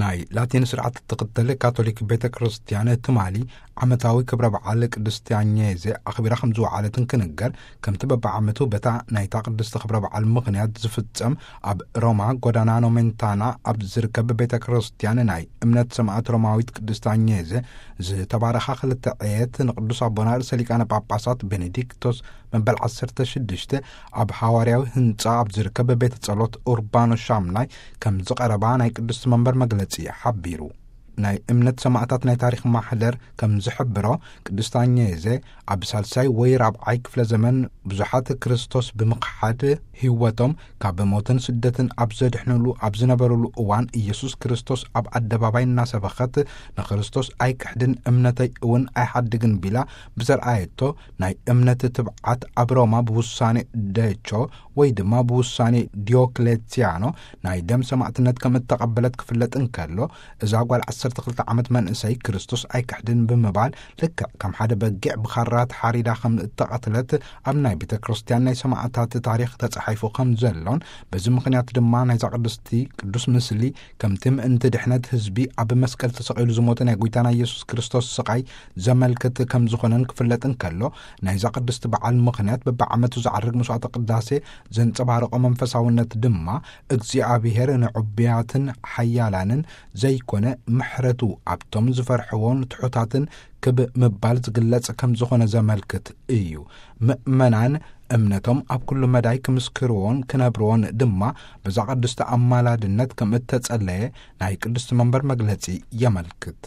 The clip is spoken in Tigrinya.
ናይ ላቲን ስርዓት እትኽተል ካቶሊክ ቤተ ክርስቲያን ትማሊ ዓመታዊ ክብረ በዓል ቅድስቲ ኣኘዜ ኣኽቢራ ከም ዝወዓለትን ክንገር፣ ከምቲ በብዓመቱ በታ ናይታ ቅድስቲ ክብረ በዓል ምኽንያት ዝፍጸም ኣብ ሮማ ጎዳና ኖሜንታና ኣብ ዝርከብ ቤተ ክርስቲያን ናይ እምነት ሰማዕት ሮማዊት ቅድስቲ ኣኘዜ ዝተባረኻ ክልተ ዕየት ንቅዱስ ኣቦና ርእሰ ሊቃነ ጳጳሳት ቤኔዲክቶስ መበል ዓሰርተ ሽዱሽተ ኣብ ሃዋርያዊ ህንጻ ኣብ ዝርከብ ቤተ ጸሎት ኡርባኖ ሻምናይ ከም ዝቐረባ ናይ ቅድስቲ መንበር መግለጺ ሓቢሩ። ናይ እምነት ሰማዕታት ናይ ታሪኽ ማሕደር ከም ዝሕብሮ፣ ቅድስቲ ኣኘዜ ኣብ ሳልሳይ ወይ ራብዓይ ክፍለ ዘመን ብዙሓት ክርስቶስ ብምኽሓድ ህይወቶም ካብ ሞትን ስደትን ኣብ ዘድሕንሉ ኣብ ዝነበሩሉ እዋን፣ ኢየሱስ ክርስቶስ ኣብ ኣደባባይ እናሰበኸት፣ "ንክርስቶስ ኣይክሕድን እምነተይ እውን ኣይሓድግን" ቢላ ብዘርኣየቶ ናይ እምነት ትብዓት፣ ኣብ ሮማ ብውሳኔ ደቾ ወይ ድማ ብውሳኔ ዲዮክሌትያኖ ናይ ደም ሰማዕትነት ከም እተቐበለት ክፍለጥ እንከሎ፣ እዛ ጓል ዓሰርተ ክልተ ዓመት መንእሰይ ክርስቶስ ኣይክሕድን ብምባል፣ ልክዕ ከም ሓደ በጊዕ ብኻራ ተሓሪዳ ከም እተቐትለት ኣብ ናይ ቤተ ክርስቲያን ናይ ሰማዕታት ታሪኽ ተጻሒፉ ከም ዘሎን፣ በዚ ምኽንያት ድማ ናይዛ ቅድስቲ ቅዱስ ምስሊ ከምቲ ምእንቲ ድሕነት ህዝቢ ኣብ መስቀል ተሰቒሉ ዝሞተ ናይ ጐይታና ኢየሱስ ክርስቶስ ስቓይ ዘመልክት ከም ዝኾነን ክፍለጥ እንከሎ፣ ናይዛ ቅድስቲ በዓል ምኽንያት በብዓመቱ ዝዓርግ መስዋዕተ ቅዳሴ ዘንጸባርቖ መንፈሳውነት ድማ፣ እግዚኣብሔር ንዕቡያትን ሓያላንን ዘይኮነ፣ ምሕረቱ ኣብቶም ዝፈርሕዎን ትሑታትን ክብ ምባል ዝግለጽ ከም ዝኾነ ዘመልክት እዩ። ምእመናን እምነቶም ኣብ ኩሉ መዳይ ክምስክርዎን ክነብርዎን ድማ፣ በዛ ቅድስቲ ኣማላድነት ከም እተጸለየ ናይ ቅድስቲ መንበር መግለጺ የመልክት።